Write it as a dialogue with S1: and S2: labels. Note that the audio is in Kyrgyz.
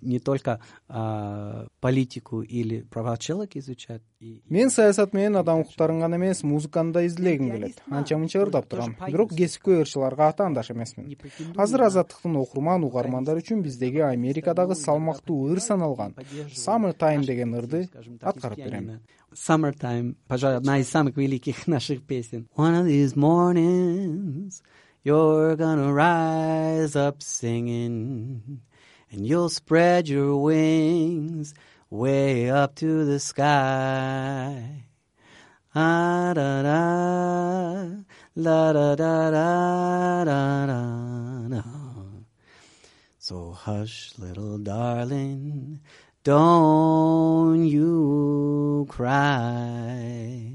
S1: не только политику или права человека изучать.
S2: Мен саясат менен адам укуктарын гана эмес, музыканы да изилегим келет. Анча мынча ырдап турам. Бирок кесипкөй ырчыларга атаандаш эмесмин. Азыр Азаттыктын окурман угармандары үчүн биздеги Америкадагы салмактуу ыр саналган Summertime деген ырды аткарып берем.
S1: Summertime, пожалуй, одна из самых великих наших песен. One of these mornings you're gonna rise up singing and you'll spread your wings way up to the sky. Ah da da la da da da da da. So hush, little darling, don't you cry.